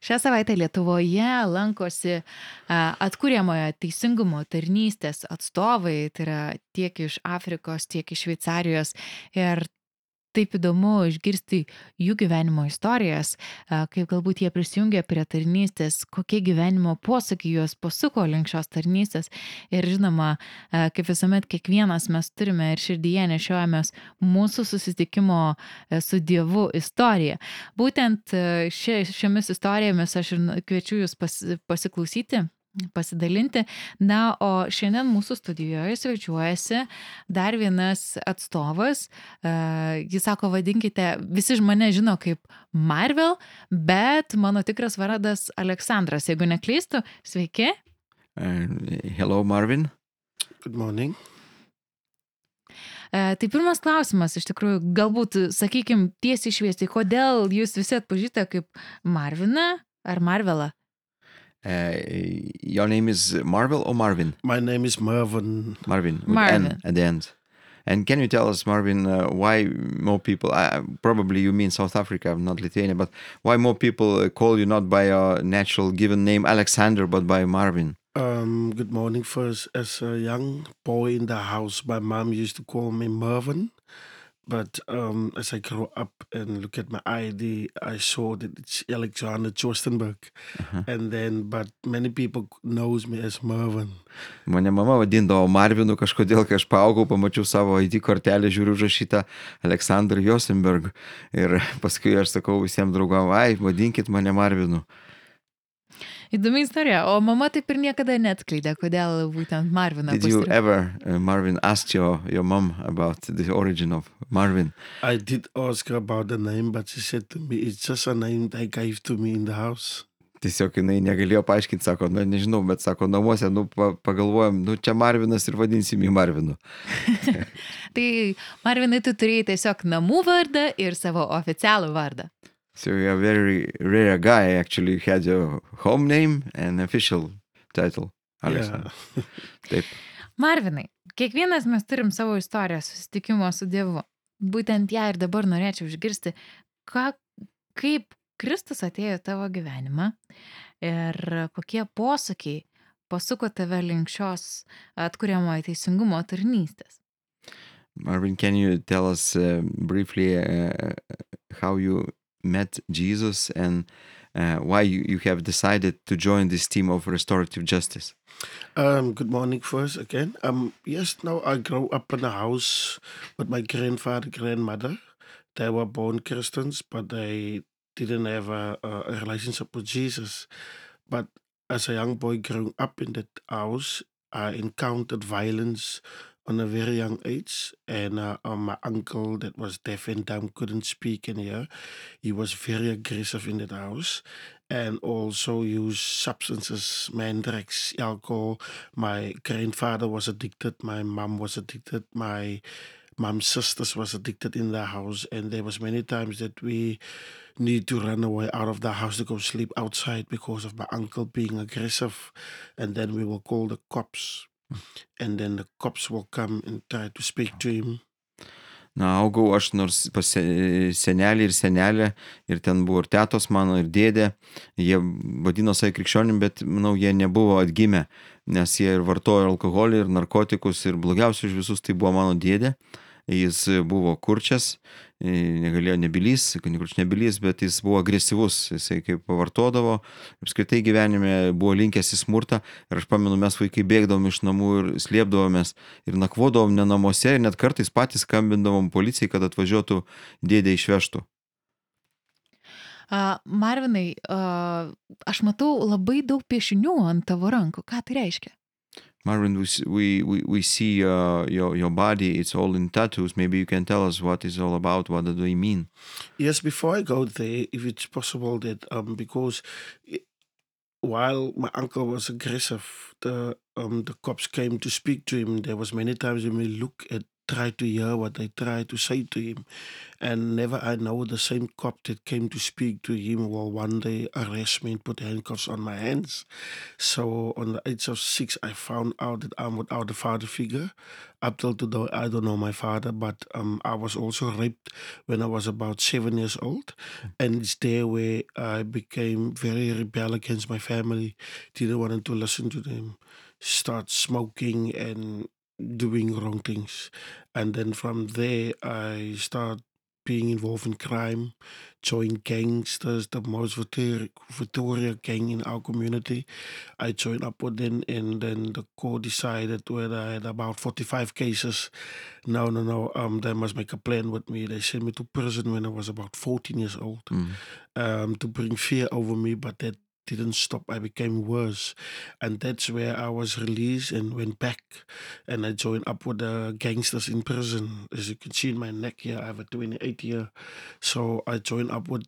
Šią savaitę Lietuvoje lankosi atkuriamojo teisingumo tarnystės atstovai, tai yra tiek iš Afrikos, tiek iš Šveicarijos. Ir taip įdomu išgirsti jų gyvenimo istorijas, kaip galbūt jie prisijungė prie tarnystės, kokie gyvenimo posakiai juos pasuko link šios tarnystės. Ir žinoma, kaip visuomet kiekvienas mes turime ir širdyje nešiojamės mūsų susitikimo su Dievu istoriją. Būtent šiomis istorijomis aš ir kviečiu jūs pasiklausyti, pasidalinti. Na, o šiandien mūsų studijoje svečiuojasi dar vienas atstovas. Jis sako, vadinkite, visi mane žino kaip Marvel, bet mano tikras vardas Aleksandras. Jeigu neklystu, sveiki. Hello, Marvin. Good morning. Tai pirmas klausimas, iš tikrųjų, galbūt, sakykim, tiesiai šviesiai, kodėl jūs visi atpažįstate kaip Marviną ar Marvelą? Your name is Marvel or Marvin? My name is Marvin. Marvin, with Marvin. N at the end. And can you tell us, Marvin, why more people, probably you mean South Africa, not Lithuania, but why more people call you not by your natural given name Alexander, but by Marvin? Good morning. First, as a young boy in the house, my mom used to call me Marvin. But as I grew up and look at my ID, I saw that it's Alexander Chostenberg. But many people knows me as Marvin. Mane mama vadindavo Marvinu kažkodėl, kai aš paaugau, pamačiau savo ID kortelę, žiūriu užrašytą Aleksandr Josenberg. Ir paskui aš sakau visiems draugam, vadinkit mane Marvinu. Įdomi istorija, o mama taip ir niekada neatskleidė, kodėl būtent Marviną Did you ever, Marvin, ask your mom about the origin of Marvin? I did ask her about the name, but she said to me, it's just a name they gave to me in the house. Tiesiog jinai negalėjo paaiškinti, sako, nežinau, bet sako, namuose, pagalvojom, čia Marvinas ir vadinsim jį Marvinu. Tai Marvinai, tu turėjai tiesiog namų vardą ir savo oficialų vardą. So you're a very rare guy, actually had your home name and official title, Alexander. Yeah. Taip. Marvinai, kiekvienas mes turim savo istoriją susitikimo su Dievu. Būtent ją ir dabar norėčiau išgirsti, kaip Kristus atėjo į tavo gyvenimą ir kokie posakiai pasuko tave link šios atkuriamojo teisingumo tarnystės. Marvin, can you tell us briefly how you met Jesus and why you have decided to join this team of restorative justice? Good morning first again. Yes, now I grew up in a house with my grandfather, grandmother. They were born Christians, but they didn't have a relationship with Jesus. But as a young boy growing up in that house, I encountered violence on a very young age. And my uncle that was deaf and dumb couldn't speak and hear. He was very aggressive in that house and also used substances, drugs, alcohol. My grandfather was addicted. My mom was addicted. My mom's sisters was addicted in the house. And there was many times that we need to run away out of the house to go sleep outside because of my uncle being aggressive. And then we will call the cops. And then the cops will come and try to speak to him. Na, augau aš nors pas senelį ir senelę, ir ten buvo ir tetos mano, ir dėdė. Jie vadino save krikščionim, bet, manau, jie nebuvo atgimę, nes jie ir vartojo alkoholį, ir narkotikus, ir blogiausiai už visus tai buvo mano dėdė. Jis buvo kurčias, negalėjo nebylys, bet jis buvo agresyvus, jisai kaip pavartodavo, apskritai gyvenime buvo linkęs į smurtą. Ir aš pamenu, mes vaikai bėgdavom iš namų ir slėpdavomės ir nakvodavom ne namuose ir net kartais patys skambindavom policijai, kad atvažiuotų dėdė išvežtų. Marvinai, aš matau labai daug piešinių ant tavo rankų. Ką tai reiškia? Marvin, we see your body, it's all in tattoos. Maybe you can tell us what it's all about, what do they mean? Yes, before I go there, if it's possible that, because while my uncle was aggressive, the cops came to speak to him. There was many times when we look at try to hear what they try to say to him. And never I know the same cop that came to speak to him will one day arrest me and put handcuffs on my hands. So on the age of 6, I found out that I'm without a father figure. Up till today, I don't know my father, but I was also raped when I was about 7 years old. And it's there where I became very rebel against my family. Didn't want to listen to them. Start smoking and doing wrong things. And then from there, I start being involved in crime, joined gangsters, the most Victoria gang in our community. I joined up with them, and then the court decided whether I had about 45 cases. No, no, no. They must make a plan with me. They sent me to prison when I was about 14 years old, to bring fear over me, but that didn't stop. I became worse. And that's where I was released and went back. And I joined up with the gangsters in prison. As you can see in my neck here, I have a 28 year. So I joined up with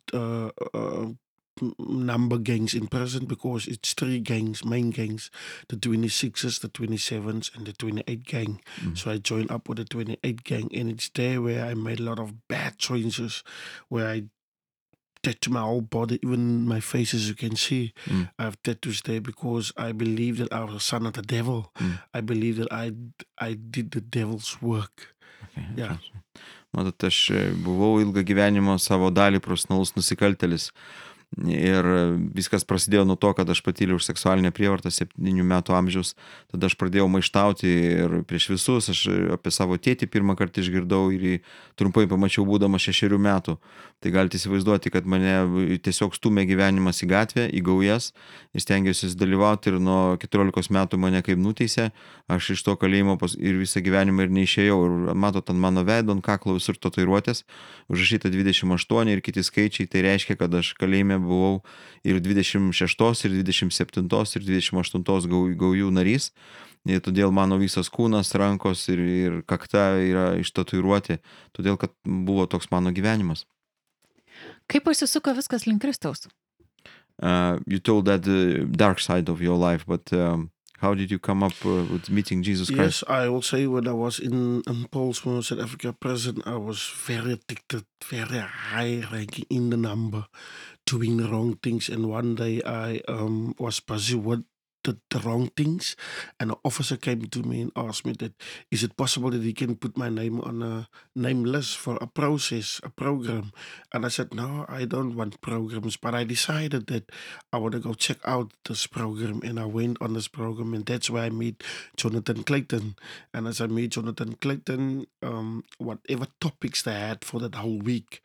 number gangs in prison because it's 3 gangs, main gangs, the 26s, the 27s, and the 28 gang. So I joined up with the 28 gang, and it's there where I made a lot of bad choices, where I tattoo my whole body, even my face, as you can see. I have tattoos there because I believe that I was a son of the devil. I believe that I did the devil's work. Yeah. Matot, aš buvau ilgą gyvenimą savo dalį profesionalus nusikaltėlis. Ir viskas prasidėjo nuo to, kad aš patyriau už seksualinę prievartą 7 metų amžiaus. Tada aš pradėjau maištauti ir prieš visus. Aš apie savo tėtį pirmą kartą išgirdau ir jį trumpai pamačiau būdamas 6 metų. Tai galite įsivaizduoti, kad mane tiesiog stumė gyvenimas į gatvę, į gaujas. Ir stengiausi dalyvauti, ir nuo 14 metų mane kaip nuteisė. Aš iš to kalėjimo ir visą gyvenimą ir neišėjau. Ir matot, ant mano veido, ant kaklo visur tatuiruotės užrašyta 28 ir kiti skaičiai. Tai reiškia, kad aš kalėjime buvau ir 26, ir 27, ir 28 gaujų narys. Ir todėl mano visas kūnas, rankos ir kakta yra ištatuiruoti. Todėl, kad buvo toks mano gyvenimas. Kaip pasisuko viskas link Kristaus? You told that the dark side of your life, but how did you come up with meeting Jesus Christ? Yes, I will say when I was in Paulsmoor, South Africa prison, I was very addicted, very high ranking in the number, doing the wrong things. And one day I was busy with the wrong things, and an officer came to me and asked me that, is it possible that he can put my name on a name list for a process, a program? And I said, no, I don't want programs, but I decided that I want to go check out this program, and I went on this program, and that's where I meet Jonathan Clayton. And as I meet Jonathan Clayton, whatever topics they had for that whole week,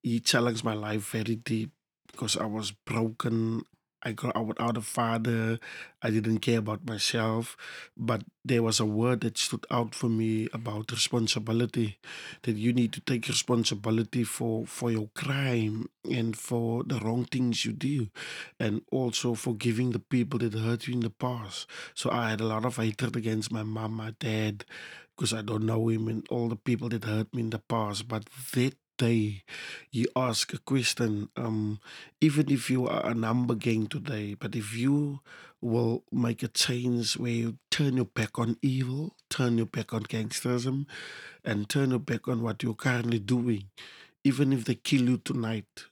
he challenged my life very deep because I was broken. I grew up without a father. I didn't care about myself. But there was a word that stood out for me about responsibility, that you need to take responsibility for your crime and for the wrong things you do, and also forgiving the people that hurt you in the past. So I had a lot of hatred against my mom, my dad, because I don't know him, and all the people that hurt me in the past. But that day you ask a question, even if you are a number gang today, but if you will make a change where you turn your back on evil, turn your back on gangsterism, and turn your back on what you're currently doing, even if they kill you tonight.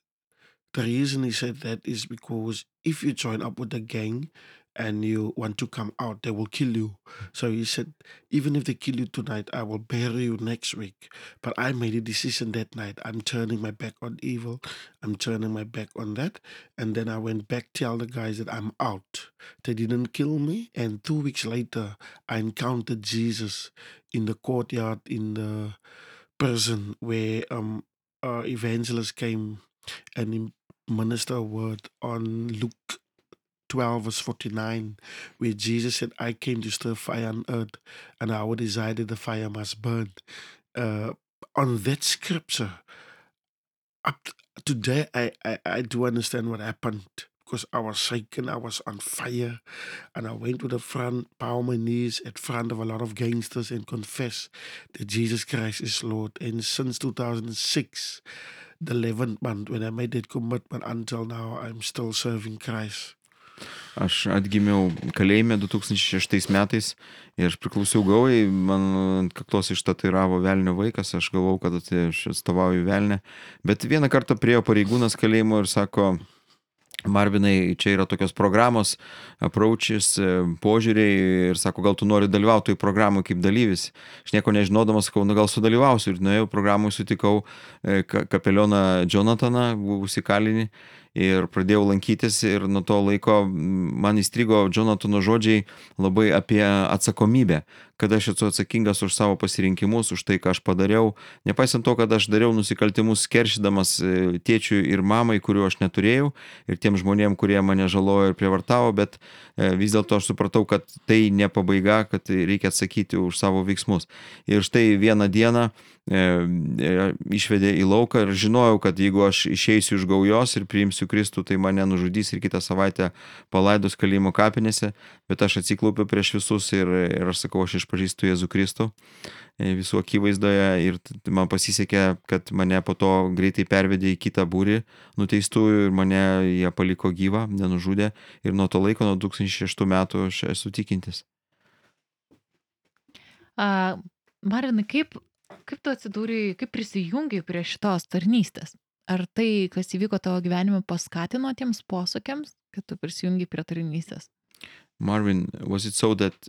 The reason he said that is because if you join up with a gang and you want to come out, they will kill you. So he said, even if they kill you tonight, I will bury you next week. But I made a decision that night. I'm turning my back on evil. I'm turning my back on that. And then I went back, tell the guys that I'm out. They didn't kill me. And 2 weeks later, I encountered Jesus in the courtyard in the prison where evangelist came and he ministered a word on Luke 12 verse 49, where Jesus said, I came to stir fire on earth, and our desire that the fire must burn. On that scripture, today I do understand what happened, because I was shaken, I was on fire, and I went to the front, bow my knees at front of a lot of gangsters and confess that Jesus Christ is Lord. And since 2006, the 11th month, when I made that commitment, until now, I'm still serving Christ. Aš atgimiau kalėjime 2006 metais ir aš priklausiau gaujai, man ant kaktos ištatuiravo velnio vaikas, aš galvau, kad aš atstovauju velnę. Bet vieną kartą priėjo pareigūnas kalėjimo ir sako, Marvinai, čia yra tokios programos, approaches, požiūriai ir sako, gal tu nori dalyvauti toj programai kaip dalyvis. Aš nieko nežinodamas, sakau, gal sudalyvausiu ir nuėjau programui, sutikau kapelioną Jonathaną, buvusi kalinį ir pradėjau lankytis ir nuo to laiko man įstrigo Jonathano žodžiai labai apie atsakomybę, kad aš esu atsakingas už savo pasirinkimus, už tai, ką aš padariau, nepaisant to, kad aš dariau nusikaltimus keršydamas tėčiui ir mamai, kuriuo aš neturėjau, ir tiem žmonėm, kurie mane žalojo ir prievartavo, bet vis dėlto aš supratau, kad tai ne pabaiga, kad reikia atsakyti už savo veiksmus. Ir štai vieną dieną išvedė į lauką ir žinojau, kad jeigu aš išeisiu iš gaujos ir priimsiu Kristų, tai mane nužudys ir kitą savaitę palaidos kalėjimo kapinėse, bet aš atsiklaupiu prieš visus ir aš sakau, aš išpažįstu Jėzų Kristų visų akivaizdoje ir man pasisekė, kad mane po to greitai pervedė į kitą būrį nuteistųjų ir mane jie paliko gyvą, nenužudė ir nuo to laiko, nuo 2006 metų aš esu tikintis. Marvinai, kaip tu atsidūrei, kaip prisijungiai prie šitos tarnystės? Ar tai, kas įvyko tavo gyvenime, paskatino tiems posūkiams, kad tu prisijungiai prie tarnystės? Marvin, was it so that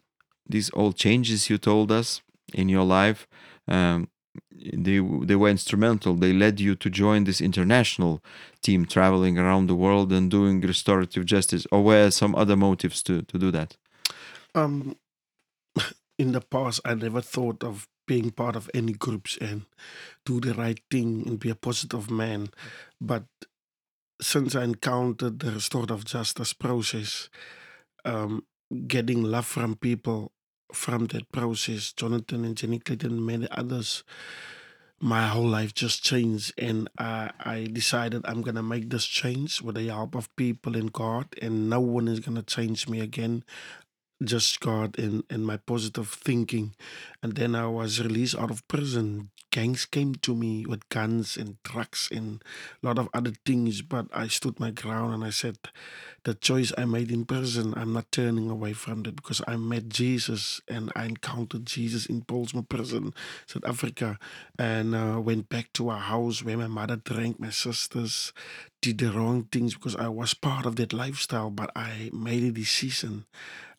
these all changes you told us in your life, they were instrumental, they led you to join this international team traveling around the world and doing restorative justice, or were some other motives to do that? In the past, I never thought of being part of any groups and do the right thing and be a positive man. But since I encountered the restorative justice process, getting love from people from that process, Jonathan and Jenny Clayton and many others, my whole life just changed. And I decided I'm going to make this change with the help of people and God, and no one is going to change me again. Just God and my positive thinking. And then I was released out of prison. Gangs came to me with guns and drugs and a lot of other things, but I stood my ground and I said, the choice I made in prison, I'm not turning away from it, because I met Jesus and I encountered Jesus in Polsma prison, South Africa, and went back to our house where my mother drank, my sisters did the wrong things because I was part of that lifestyle, but I made a decision.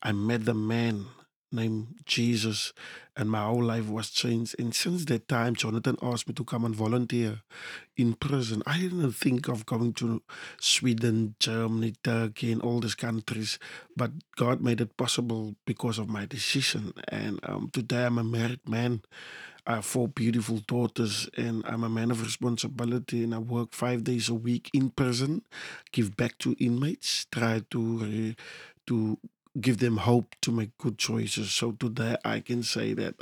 I met the man named Jesus, and my whole life was changed. And since that time, Jonathan asked me to come and volunteer in prison. I didn't think of going to Sweden, Germany, Turkey, and all these countries, but God made it possible because of my decision. And today I'm a married man. I have 4 beautiful daughters, and I'm a man of responsibility, and I work 5 days a week in prison, give back to inmates, try to give them hope to make good choices. So today I can say that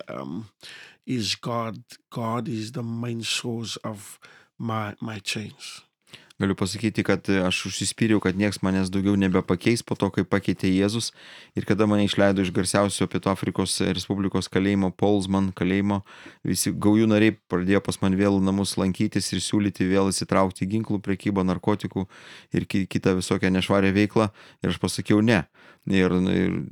is God. God is the main source of my change. Galiu pasakyti, kad aš užsispyriau, kad nieks manęs daugiau nebepakeis po to, kai pakeitė Jėzus. Ir kada mane išleido iš garsiausio Pietų Afrikos Respublikos kalėjimo, Polsman kalėjimo, visi gaujų nariai pradėjo pas man vėl namus lankytis ir siūlyti vėl įsitraukti į ginklų prekybą, narkotikų ir kitą visokią nešvarę veiklą. Ir aš pasakiau ne. Ir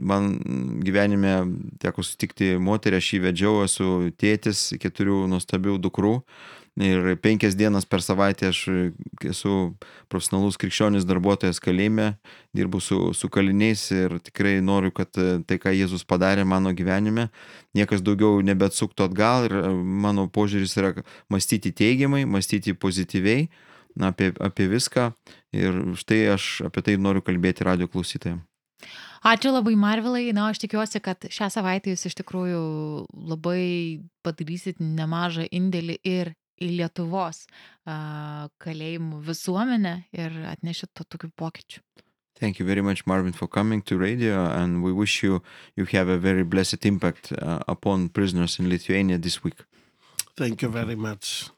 man gyvenime teko sutikti moterį, aš jį vedžiau, esu tėtis 4 nuostabių dukrų. Ir 5 dienas per savaitę aš esu profesionalus krikščionis darbuotojas kalėjime, dirbu su kaliniais ir tikrai noriu, kad tai, ką Jėzus padarė mano gyvenime, niekas daugiau nebeatsuktų atgal ir mano požiūris yra mąstyti teigiamai, mąstyti pozityviai apie viską ir štai aš apie tai noriu kalbėti radijo klausytojams. Ačiū labai, Marvilai. Na, aš tikiuosi, kad šią savaitę jūs iš tikrųjų labai padarysit nemažą indėlį ir į Lietuvos kalėjimų visuomenę ir atnešit tokių pokyčių. Thank you very much, Marvin, for coming to radio, and we wish you have a very blessed impact upon prisoners in Lithuania this week. Thank you very much.